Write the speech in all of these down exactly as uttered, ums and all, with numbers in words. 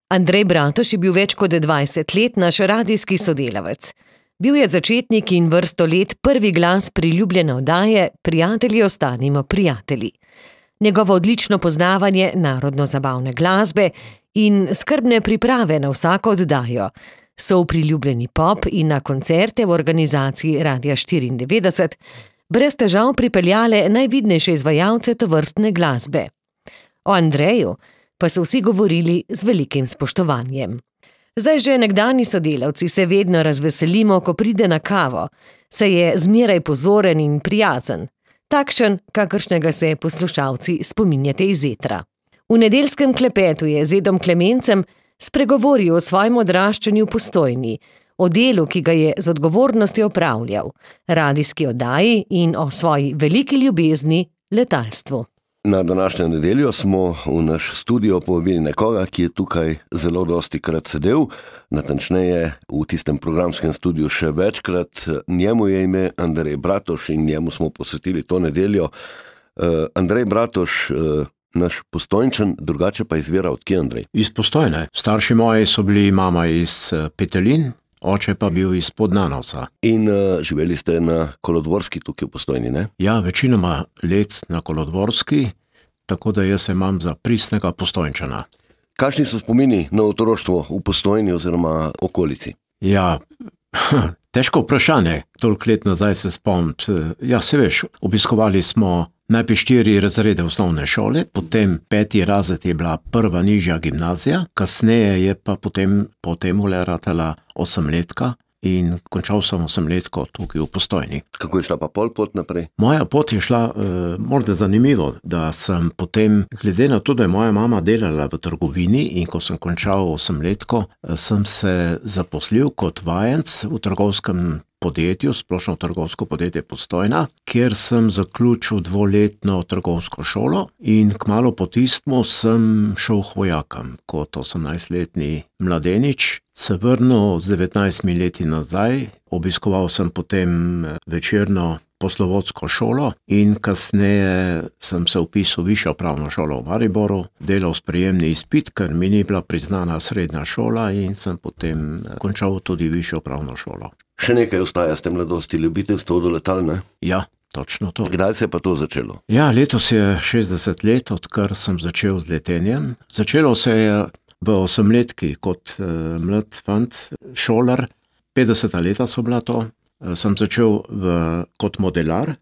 Andrej Bratož je bil več kot dvajset let naš radijski sodelavec. Bil je začetnik in vrsto let prvi glas priljubljene oddaje Prijatelji ostanimo prijatelji. Njegovo odlično poznavanje narodno-zabavne glasbe in skrbne priprave na vsako oddajo so v priljubljeni pop in na koncerte v organizaciji Radia štiriindevetdeset brez težav pripeljale najvidnejše izvajalce tovrstne glasbe. O Andreju pa so vsi govorili z velikim spoštovanjem. Zdaj že nekdani sodelavci se vedno razveselimo, ko pride na kavo, saj je zmeraj pozoren in prijazen, takšen, kakršnega se poslušalci spominjate iz etra. V nedeljskem klepetu je z Edom Klemencem spregovoril o svojem odraščanju v Postojni, o delu, ki ga je z odgovornostjo opravljal, radijski oddaji in o svoji veliki ljubezni letalstvu. Na današnjo nedeljo smo v naš studio povabili nekoga, ki je tukaj zelo dosti krat sedel, natančneje v tistem programskem studiu še večkrat. Njemu je ime Andrej Bratož in njemu smo posvetili to nedeljo. Uh, Andrej Bratož, uh, naš Postojnčan, drugače pa izvira od kje, Andrej? Iz Postojne. Starši moji so bili mama iz Petelin, oče pa bil iz Podnanovca. In uh, živeli ste na Kolodvorski tukaj v Postojni, ne? Ja, večinoma let na Kolodvorski, tako da jaz se imam za pristnega Postojnčana. Kakšni so spomini na otroštvo v Postojni oziroma okolici? Ja, težko vprašanje, toliko let nazaj se spomniti. Ja, se veš, obiskovali smo najprej štiri razrede osnovne šole, potem peti razred je bila prva nižja gimnazija, kasneje je pa potem po temule ratala osemletka in končal sem osemletko tukaj v Postojni. Kako je šla pa pol pot naprej? Moja pot je šla, eh, morda zanimivo, da sem potem, glede na to, da je moja mama delala v trgovini in ko sem končal osemletko, sem se zaposlil kot vajenc v trgovskem podjetju, splošno trgovsko podjetje Postojna, kjer sem zaključil dvoletno trgovsko šolo in kmalu po tistmu sem šel k vojakam kot osemnajstletni mladenič. Se vrnil z devetnajstimi leti nazaj, obiskoval sem potem večerno poslovodsko šolo in kasneje sem se vpisal v višjo pravno šolo v Mariboru, delal sprejemni izpit, ker mi ni bila priznana srednja šola in sem potem končal tudi višjo pravno šolo. Še nekaj ostaja s tem mladosti, ljubiteljstvo do letal, ne? Ja, točno to. Kdaj se je pa to začelo? Ja, letos je šestdeset let, odkar sem začel z letenjem. Začelo se je v osemletki kot uh, mlad fant, šolar, petdeseta leta so bila to. Uh, sem začel v, kot modelar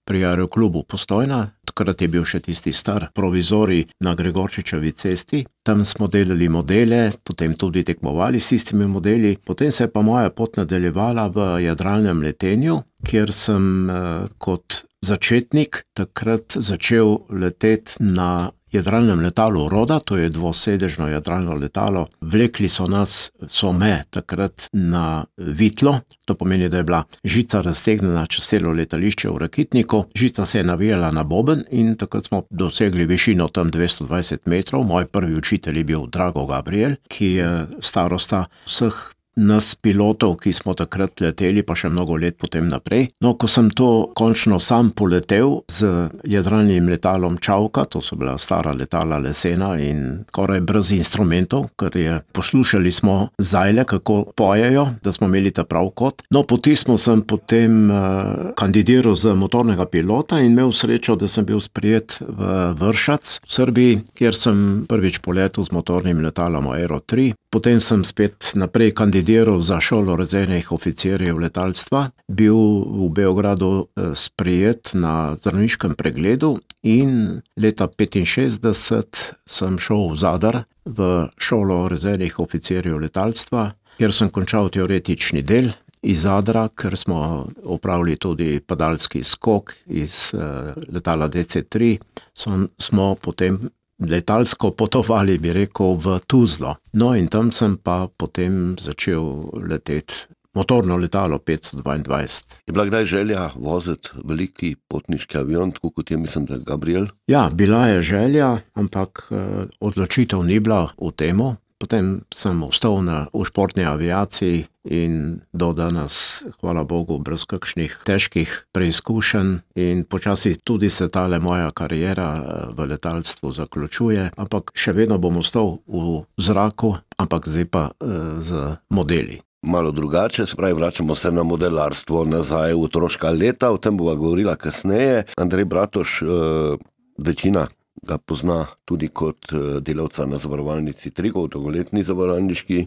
pri Aeroklubu Postojna, takrat je bil še tisti star provizorij na Gregorčičevi cesti. Tam smo delali modele, potem tudi tekmovali s tistimi modeli. Potem se je pa moja pot nadaljevala v jadralnem letenju, kjer sem uh, kot začetnik takrat začel leteti na jadralnem letalu Roda, to je dvosedežno jadralno letalo. Vlekli so nas, so me takrat na vitlo, to pomeni, da je bila žica raztegnjena čez celo letališče v Rakitniku. Žica se je navijala na boben in takrat smo dosegli višino tam dvesto dvajset metrov. Moj prvi učitelj je bil Drago Gabriel, ki je starosta vseh nas pilotov, ki smo takrat leteli, pa še mnogo let potem naprej. No, ko sem to končno sam poletel z jadralnim letalom Čavka, to so bila stara letala lesena in skoraj brez instrumentov, ker je poslušali smo zajle, kako pojejo, da smo imeli ta prav kot. No, potismo sem potem uh, kandidiral za motornega pilota in imel srečo, da sem bil sprijet v Vršac v Srbiji, kjer sem prvič poletel z motornim letalom Aero tri. Potem sem spet naprej kandidiral za šolo rezervnih oficirjev letalstva, bil v Beogradu sprejet na zdravniškem pregledu in leta petinšestdeset sem šel v Zadar v šolo rezervnih oficirjev letalstva, kjer sem končal teoretični del iz Zadra, ker smo opravili tudi padalski skok iz uh, letala D C tri, so, smo potem letalsko potovali, bi rekel, v Tuzlo. No in tam sem pa potem začel leteti motorno letalo petsto dvaindvajset. Je bila kdaj želja voziti veliki potniški avion, tako kot je, mislim, da Gabriel? Ja, bila je želja, ampak eh, odločitev ni bila v temu. Potem sem ostal na, v športni aviaciji in do danes, hvala Bogu, brez kakšnih težkih preizkušenj in počasi tudi se tale moja kariera v letalstvu zaključuje, ampak še vedno bom ostal v zraku ampak zdaj pa uh, z modeli. Malo drugače, spravi vračamo se na modelarstvo nazaj v otroška leta, o tem bova govorila kasneje. Andrej Bratoš, uh, večina ga pozna tudi kot delavca na zavarovalnici Triglav, dolgoletni zavarovalniški,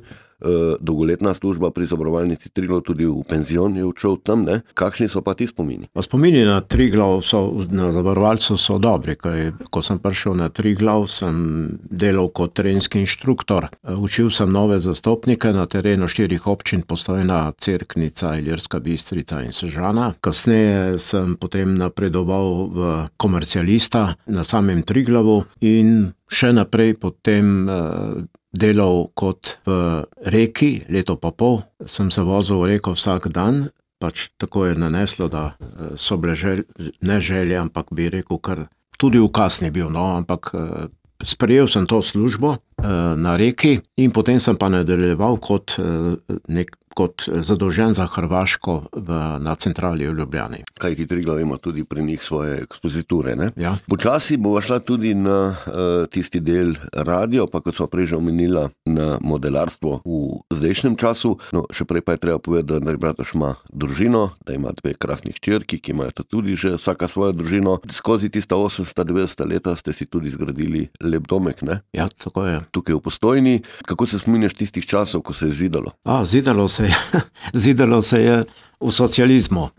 dolgoletna služba pri zavarovalnici Triglav, tudi v penzion je odšel tam, ne? Kakšni so pa ti spomini? Pa spomini na Triglav so, na zavarovalcu so dobri, kaj, ko sem prišel na Triglav, sem delal kot terenski inštruktor. Učil sem nove zastopnike na terenu štirih občin, Postojna, Cerknica, Ilirska Bistrica in Sežana. Kasneje sem potem napredoval v komercialista na samem Triglavu in še naprej potem uh, delal kot v Reki, leto pa pol. Sem se vozil v Reko vsak dan, pač tako je naneslo, da uh, so bile žel, ne želje, ampak bi rekel, kar tudi ukaz ni bil, no, ampak uh, sprejel sem to službo uh, na Reki in potem sem pa nadaljeval kot uh, nek kot zadolžen za Hrvaško v, na centrali v Ljubljani. Kaj ti Triglav ima tudi pri njih svoje ekspoziture, ne? Ja. Počasi bova šla tudi na uh, tisti del radio, pa kot sva prej že omenila, na modelarstvo v zdajšnjem času. No, še prej pa je treba povedati, da Andrej Bratoš ima družino, da ima dve krasnih hčerki, ki imajo tudi že vsaka svojo družino. Skozi tista osemdeseta, devetdeseta leta ste si tudi zgradili lep domek, ne? Ja, tako je. Tukaj v Postojni. Kako se spominjaš tistih časov, ko se je zidalo? A, zidalo se Zidalo se je v socializmu.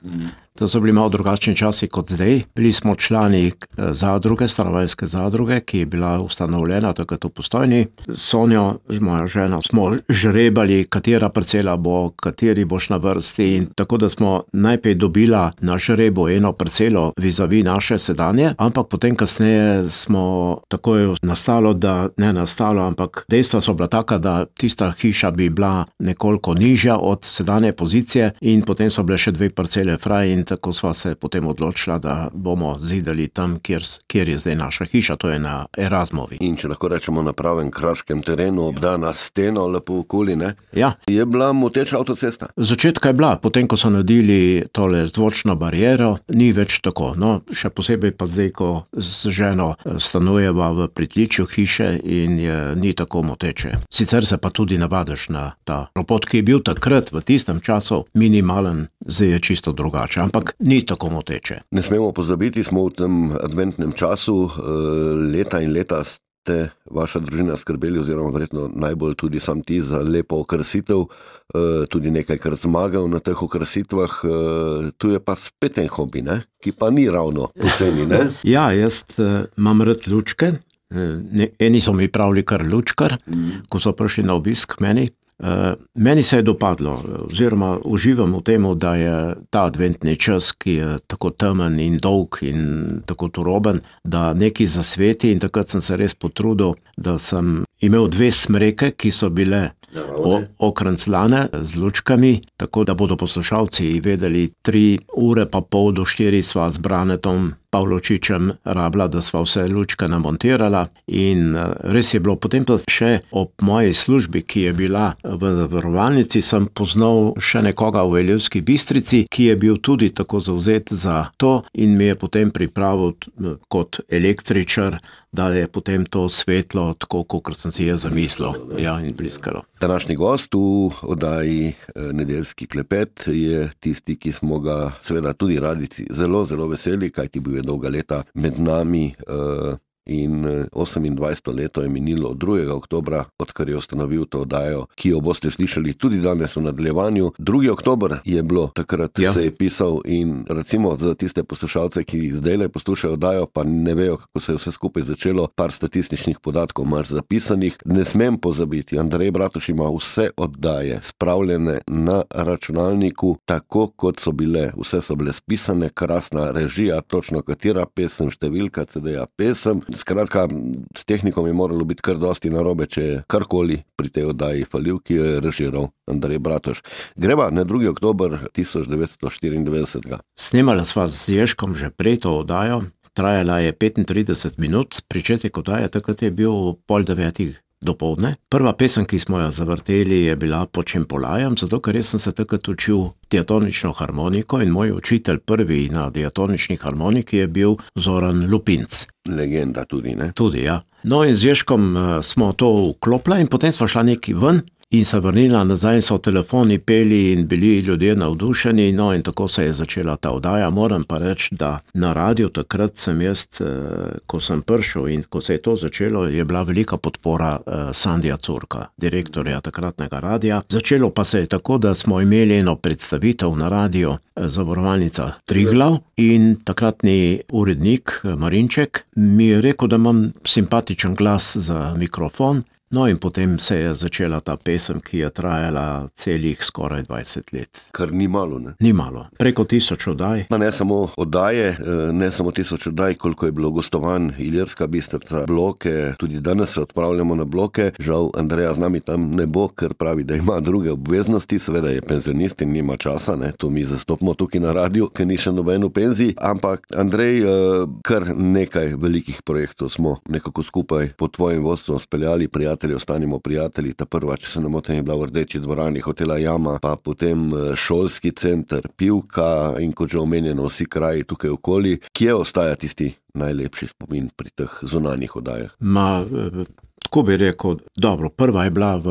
To so bili malo drugačni časi kot zdaj. Bili smo člani zadruge, stanovanjske zadruge, ki je bila ustanovljena takrat v Postojni. Sonjo, moja žena, smo žrebali, katera parcela bo, kateri boš na vrsti. In tako da smo najprej dobila na žrebu eno parcelo vizavi naše sedanje, ampak potem kasneje smo tako je nastalo, da ne nastalo, ampak dejstva so bila taka, da tista hiša bi bila nekoliko nižja od sedanje pozicije in potem so bile še dve parcele fraj in tako sva se potem odločila, da bomo zidali tam, kjer, kjer je zdaj naša hiša, to je na Erasmovi. In če lahko rečemo na pravem kraškem terenu, obdana steno, lepo okoli, ne? Ja. Je bila moteča avtocesta? Začetka je bila, potem ko so naredili tole zvočno bariero, ni več tako. No, še posebej pa zdaj, ko z ženo stanujeva v pritličju hiše in je, ni tako moteče. Sicer se pa tudi navadiš na ta ropot, ki je bil takrat v tistem času minimalen, zdaj je čisto drugače, ampak ni tako moteče. Ne smemo pozabiti, smo v tem adventnem času, leta in leta ste vaša družina skrbeli, oziroma verjetno najbolj tudi sam ti za lepo okrasitev, tudi nekajkrat zmagal na teh okrasitvah. Tu je pa spet en hobi, ne? Ki pa ni ravno poceni, ne? Ja, jaz imam rad lučke. Eni so mi pravili kar lučkar, mm. ko so prišli na obisk k meni. Uh, meni se je dopadlo, oziroma uživam v temu, da je ta adventni čas, ki je tako temen in dolg in tako turoben, da neki zasveti in takrat sem se res potrudil, da sem imel dve smreke, ki so bile okranclane z lučkami, tako da bodo poslušalci vedeli, tri ure pa pol do štiri sva z Branetom Pavločičem rabila, da sva vse lučke namontirala in res je bilo. Potem pa še ob moji službi, ki je bila v zavarovalnici, sem poznal še nekoga v Ilirski Bistrici, ki je bil tudi tako zavzet za to in mi je potem pripravil kot električar, da je potem to svetlo tako, kot sem si je zamislil, ja, in bliskalo. Današnji gost v oddaji Nedeljski klepet je tisti, ki smo ga seveda tudi radici zelo, zelo veseli, kajti bil je dolga leta med nami uh, in osemindvajseto leto je minilo od drugega oktobra, odkar je ustanovil to oddajo, ki jo boste slišali tudi danes v nadaljevanju. drugi oktober je bilo, takrat ja. Se je pisal in recimo za tiste poslušalce, ki zdajle poslušajo oddajo, pa ne vejo, kako se je vse skupaj začelo, par statističnih podatkov imaš zapisanih. Ne smem pozabiti, Andrej Bratoš ima vse oddaje spravljene na računalniku, tako kot so bile, vse so bile spisane, krasna režija, točno katera pesem, številka ce de-ja pesem. Skratka, s tehnikom je moralo biti kar dosti narobe, če je karkoli pri tej oddaji falil, ki jo je režiral Andrej Bratoš. Greva na drugi oktober tisoč devetsto štiriindevetdeset. Snemala sva z Ježkom že prej to oddajo, trajala je petintrideset minut, pričetek oddaje takrat je bil pol devetih dopoldne. Prva pesem, ki smo jo zavrteli, je bila Pod Čempolajem, zato ker jaz sem se takrat učil diatonično harmoniko in moj učitelj prvi na diatonični harmoniki je bil Zoran Lupinc. Legenda tudi, ne? Tudi, ja. No in z Ježkom smo to vklopili in potem smo šla neki ven in se vrnila nazaj, so telefoni peli in bili ljudje navdušeni, no in tako se je začela ta oddaja. Moram pa reči, da na radiju takrat sem jaz, ko sem prišel in ko se je to začelo, je bila velika podpora Sandija Curka, direktorja takratnega radija. Začelo pa se je tako, da smo imeli eno predstavitev na radiju Zavarovalnica Triglav in takratni urednik Marinček mi je rekel, da imam simpatičen glas za mikrofon. No in potem se je začela ta pesem, ki je trajala celih skoraj dvajset let. Kar ni malo, ne? Ni malo. Preko tisoč oddaj. Ma ne samo oddaje, ne samo tisoč oddaj, koliko je bilo gostovanj, Ilirska Bistrica, Bloke, tudi danes se odpravljamo na Bloke. Žal Andreja z nami tam ne bo, ker pravi, da ima druge obveznosti, seveda je penzionist in nima časa, ne? To mi zastopimo tukaj na radiju, ker ni še noben v penziji, ampak Andrej, kar nekaj velikih projektov smo nekako skupaj pod tvojim vodstvom speljali, prijatelji, ostanimo prijatelji. Ta prva, če se ne motim, je bila v Rdeči dvorani hotela Jama, pa potem šolski center, Pivka in kot že omenjeno vsi kraji tukaj okoli. Kje ostaja tisti najlepši spomin pri teh zunanjih oddajah? Ma, tako bi rekel, dobro, prva je bila v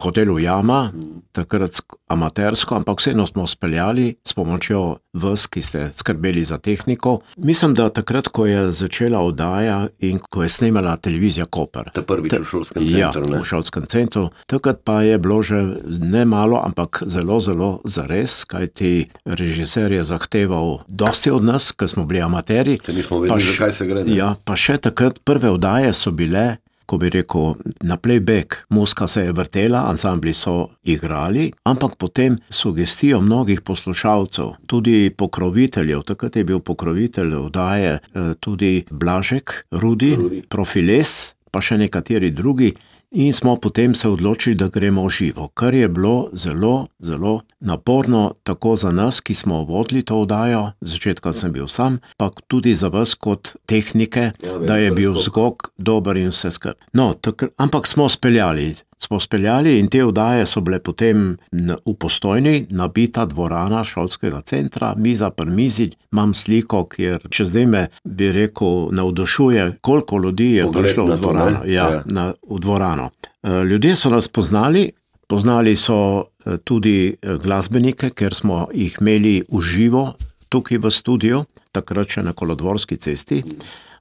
hotelu Jama, takrat amatersko, ampak vseeno smo speljali s pomočjo vas, ki ste skrbeli za tehniko. Mislim, da takrat, ko je začela oddaja in ko je snemala televizija Koper. Ta prvič v šolskem centru, ne? Ja, v šolskem centru. Takrat pa je bilo že ne malo, ampak zelo, zelo zares, kajti režiser je zahteval dosti od nas, ker smo bili amateri. Ker nismo vedeli, zakaj se gre. Ne? Ja, pa še takrat prve oddaje so bile, ko bi rekel, na playback. Muzika se je vrtela, ansambli so igrali, ampak potem sugestijo mnogih poslušalcev, tudi pokroviteljev, takrat je bil pokrovitelj oddaje tudi Blažek, Rudi, Rudi. Profiles, pa še nekateri drugi. In smo potem se odločili, da gremo v živo, kar je bilo zelo, zelo naporno, tako za nas, ki smo vodili to oddajo, začetka sem bil sam, pa tudi za vas kot tehnike, ja, da je bil zvok dober in vse skrb. No, takr, ampak smo speljali, smo speljali in te oddaje so bile potem v Postojni, nabita dvorana šolskega centra, miza pri mizi, imam sliko, kjer če zdaj me, bi rekel, navdušuje, koliko ljudi je Pogled prišlo v dvorano. Ja, ja. Na, v dvorano. Ljudje so nas poznali, poznali so tudi glasbenike, ker smo jih imeli v živo tukaj v studiu, takrat še na Kolodvorski cesti.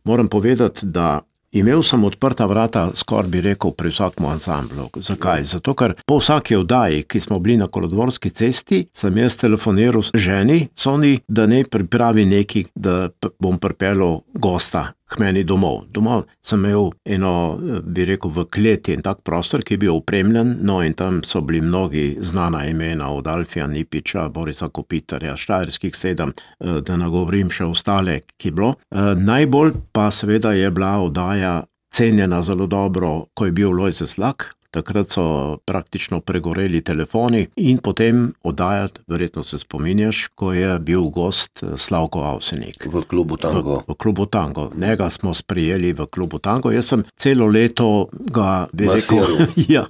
Moram povedati, da imel sem odprta vrata, skoraj bi rekel, pri vsakem ansamblu. Zakaj? Zato, ker po vsaki oddaji, ki smo bili na Kolodvorski cesti, sem jaz telefoniral ženi, Soni, da ne pripravi neki, da bom pripeljal gosta k meni domov. Domov sem imel eno, bi rekel, v kleti in tak prostor, ki je bil opremljen, no in tam so bili mnogi znana imena od Alfija Nipiča, Borisa Kopitarja, Štajerskih sedem, da nagovorim še ostale, ki bilo. Najbolj pa seveda je bila oddaja cenjena zelo dobro, ko je bil Lojze Slak. Takrat so praktično pregoreli telefoni in potem oddajati, verjetno se spominjaš, ko je bil gost Slavko Avsenik. V klubu Tango. V, v klubu Tango. Njega smo sprijeli v klubu Tango. Jaz sem celo leto ga, bi rekel, ja,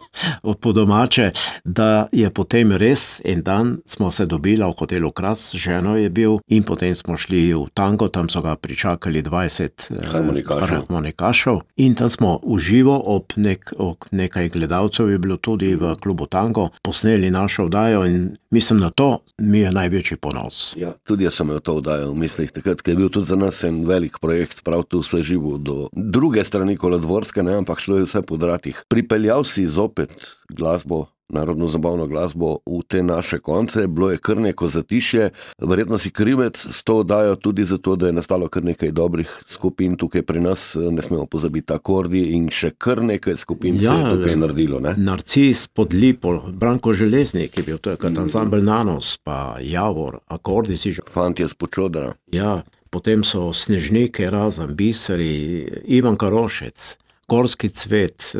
po domače, da je potem res en dan smo se dobili v hotelu Kras, ženo je bil in potem smo šli v Tango, tam so ga pričakali dvajset harmonikašov. harmonikašov in tam smo v živo ob, nek, ob nekaj gledalcev gledalcev je bilo tudi v klubu Tango, posneli našo oddajo in mislim, na to mi je največji ponos. Ja, tudi jaz sem imel to oddajo v mislih, takrat, ker je bil tudi za nas en velik projekt, prav tu vse živo do druge strani Kolodvorske, ne, ampak šlo je vse po dratih. Pripeljal si zopet glasbo, narodno zabavno glasbo v te naše konce, bilo je kar neko zatišje, verjetno si krivec s to oddajo tudi zato, da je nastalo kar nekaj dobrih skupin tukaj pri nas, ne smemo pozabiti akordi in še kar nekaj skupin ja, se je tukaj naredilo. Ne? Narcis pod Lipo, Branko Železnik je bil, to je kot ansambel Nanos, pa Javor, akordi si že. Fantje z Počodra. Ja, potem so Snežnike, Razem, Biseri, Ivan Karošec, Gorski cvet,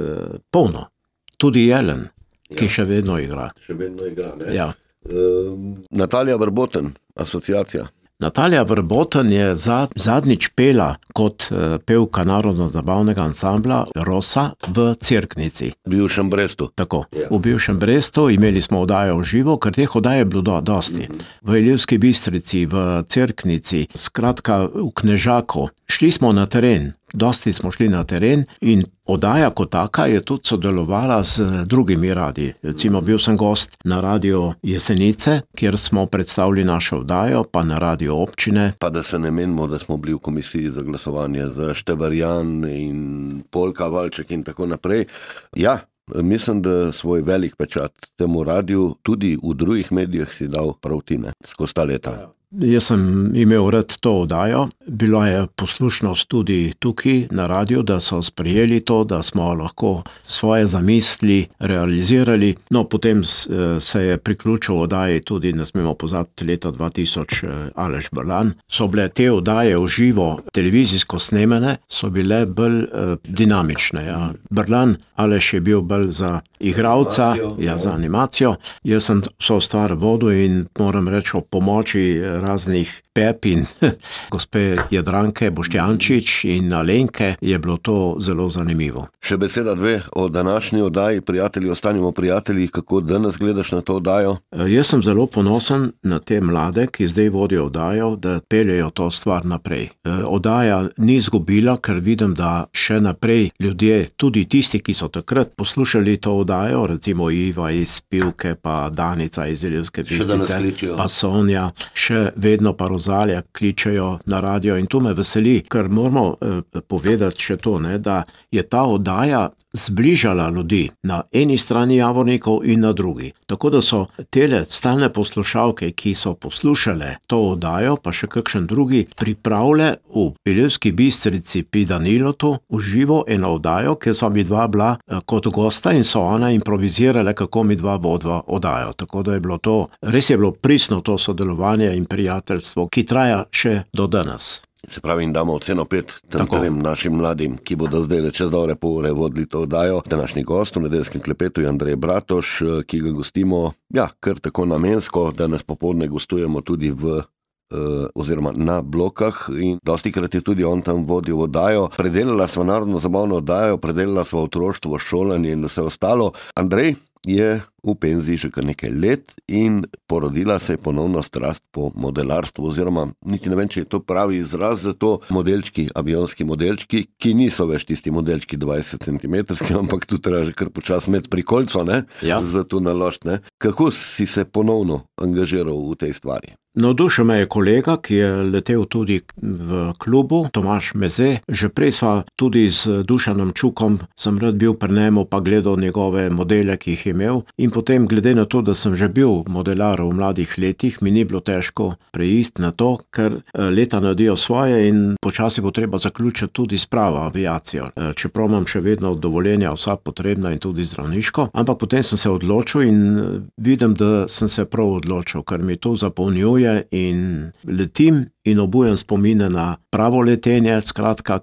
polno, tudi Jelen. Ki ja. še vedno igra. Še vedno igra, ne? Ja. Um, Natalija Vrboten, asociacija. Natalija Vrboten je zad, zadnjič pela kot uh, pevka narodno-zabavnega ansambla Rosa v Cerknici. V bivšem Brestu. Tako, ja. V bivšem Brestu imeli smo oddajo v živo, ker teh oddaj je bilo do, dosti. Mm-hmm. V Ilirski Bistrici, v Cerknici, skratka v Knežaku. Šli smo na teren, dosti smo šli na teren in oddaja kot taka je tudi sodelovala z drugimi radiji. Recimo bil sem gost na Radio Jesenice, kjer smo predstavili našo oddajo, pa na Radio Občine. Pa da se ne menimo, da smo bili v komisiji za glasovanje za Števarjan in Polka, Valček in tako naprej. Ja, mislim, da svoj velik pečat temu radiju tudi v drugih medijih si dal prav ti, ne, skozi ta leta. Jaz sem imel rad to oddajo, bila je poslušnost tudi tukaj na radiju, da so sprejeli to, da smo lahko svoje zamisli realizirali. No, potem se je priključil oddaji tudi, ne smemo pozabiti, leta dva tisoč Aleš Brlan. So bile te oddaje v živo televizijsko snemene, so bile bolj eh, dinamične. Ja. Brlan, Aleš je bil bolj za igralca, ja, za animacijo. Jaz sem so stvar vodil in moram reči o pomoči raznih Pep in gospe Jadranke Boštjančič in Alenke je bilo to zelo zanimivo. Še beseda dve o današnji oddaji, prijatelji, ostanimo prijatelji, kako danes gledaš na to oddajo? Jaz sem zelo ponosen na te mlade, ki zdaj vodijo oddajo, da peljejo to stvar naprej. Oddaja ni izgubila, ker vidim, da še naprej ljudje, tudi tisti, ki so takrat poslušali to oddajo, recimo Iva iz Pivke, pa Danica iz Ilirske Bistrice, pa Sonja, še vedno pa Rozalija kličejo na radio in to me veseli, ker moramo eh, povedati še to, ne, da je ta oddaja zbližala ljudi na eni strani Javornikov in na drugi. Tako da so tele stalne poslušalke, ki so poslušale to oddajo, pa še kakšen drugi, pripravile v Ilirski Bistrici pri Danilotu v živo eno oddajo, ker so mi dva bila eh, kot gosta in so ona improvizirale, kako mi dva vodva oddajo. Tako da je bilo to, res je bilo pristno to sodelovanje in prijateljstvo, ki traja še do danes. Se pravi, in damo oceno pet tem trem našim mladim, ki bodo zdaj čez dobre pol ure vodili to oddajo. Današnji gost v nedeljskem klepetu je Andrej Bratož, ki ga gostimo, ja, kar tako namensko, danes popoldne gostujemo tudi v Uh, oziroma na blokah in dostikrat je tudi on tam vodil oddajo. Predelala sva narodno zabavno oddajo, predelala sva otroštvo, šolanje in vse ostalo. Andrej je v penziji že kar nekaj let in porodila se je ponovno strast po modelarstvu, oziroma niti ne vem, če je to pravi izraz za to, modelčki, avionski modelčki, ki niso več tisti modelčki dvajset centimetrski, ampak tu treba že kar počas med prikolco, ne? Ja. Za to naložiti, ne? Kako si se ponovno angažiral v tej stvari? Navdušil me je kolega, ki je letel tudi v klubu, Tomaž Meze. Že prej sva tudi z Dušanom Čukom, sem rad bil pri njemu, pa gledal njegove modele, ki jih je imel. In potem, glede na to, da sem že bil modelar v mladih letih, mi ni bilo težko preiti na to, ker leta naredijo svoje in počasi bo treba zaključiti tudi spravo aviacijo. Čeprav imam še vedno dovoljenja vsa potrebna in tudi zdravniško, ampak potem sem se odločil in vidim, da sem se prav odločil, ker mi to zapolnjuje in letim in obujem spomine na pravo letenje. Skratka,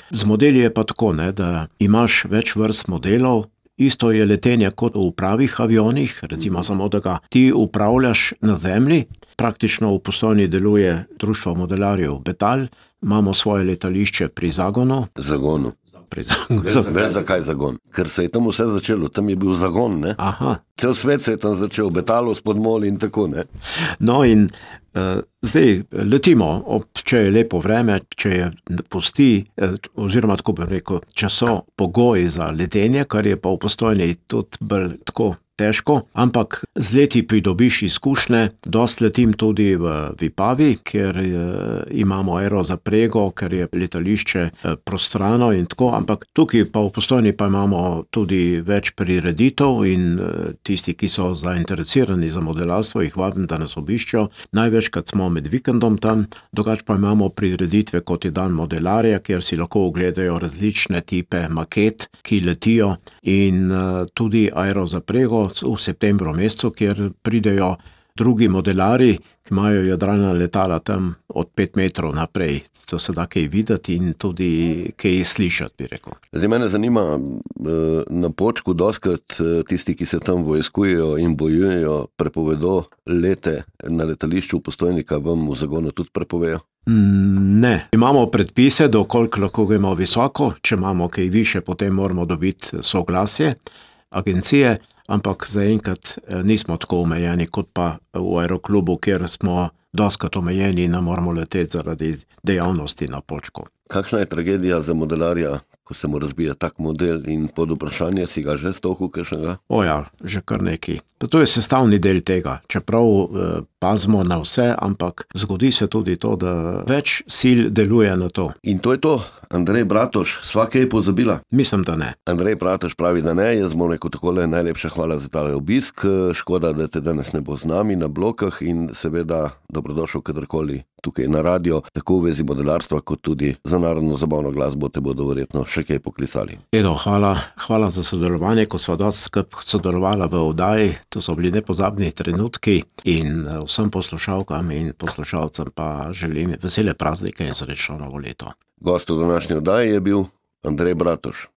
z modeli je pa tako, ne, da imaš več vrst modelov. Isto je letenje kot v pravih avionih, recimo samo, da ga ti upravljaš na zemlji. Praktično v Postojni deluje Društvo modelarjev Betal, imamo svoje letališče pri Zagonu. Zagonu. Pri Zagonu. Veš, zakaj Zagon? Ker se je tam vse začelo, tam je bil zagon, ne? Aha. Cel svet se je tam začel, Betalu, Spodmol in tako, ne? No in uh, zdaj letimo, ob, če je lepo vreme, če je pusti, uh, oziroma tako bi rekel, če so pogoji za letenje, kar je pa v Postojni tudi bolj tako težko, ampak z leti pridobiš izkušnje. Dost letim tudi v Vipavi, ker je, imamo aerozaprego, ker je letališče prostrano in tako, ampak tukaj pa v Postojni pa imamo tudi več prireditev in tisti, ki so zainteresirani za modelarstvo, jih vabim, da nas obiščejo. Največkrat smo med vikendom tam, drugače pa imamo prireditve, kot je dan modelarja, kjer si lahko ogledajo različne tipe maket, ki letijo in uh, tudi aerozaprego v septembru mesecu, kjer pridejo drugi modelari, ki imajo jadralna letala tam od pet metrov naprej. To se da kaj videti in tudi kaj slišati, bi rekel. Zdaj mene zanima, na Počku doskrat tisti, ki se tam vojskujejo in bojujejo, prepovedo lete na letališču v Postojnika, vam v Zagonu tudi prepovejo? Ne. Imamo predpise, do koliko lahko gremo visoko, če imamo kaj više, potem moramo dobiti soglasje agencije, ampak zaenkrat nismo tako omejeni kot pa v aeroklubu, kjer smo doskrat omejeni in ne moramo leteti zaradi dejavnosti na Počku. Kakšna je tragedija za modelarja, ko se mu razbije tak model in pod vprašanje, si ga že stohil kakšnega? O ja, že kar nekaj. To je sestavni del tega, čeprav eh, pazimo na vse, ampak zgodi se tudi to, da več sil deluje na to. In to je to. Andrej Bratož, sva kaj pozabila? Mislim, da ne. Andrej Bratož pravi, da ne, jaz bom rekel takole, najlepša hvala za tale obisk, škoda, da te danes ne bo z nami na blokah in seveda dobrodošel kadarkoli tukaj na radio, tako v vezi modelarstva, kot tudi za narodno zabavno glasbo te bodo verjetno še kaj poklicali. Edo, hvala, hvala za sodelovanje, ko sva dosti skupaj sodelovala v oddaji, to so bili nepozabni trenutki in vsem poslušalkam in poslušalcem pa želim vesele praznike in srečno novo leto. Gost v današnji oddaji je bil Andrej Bratož.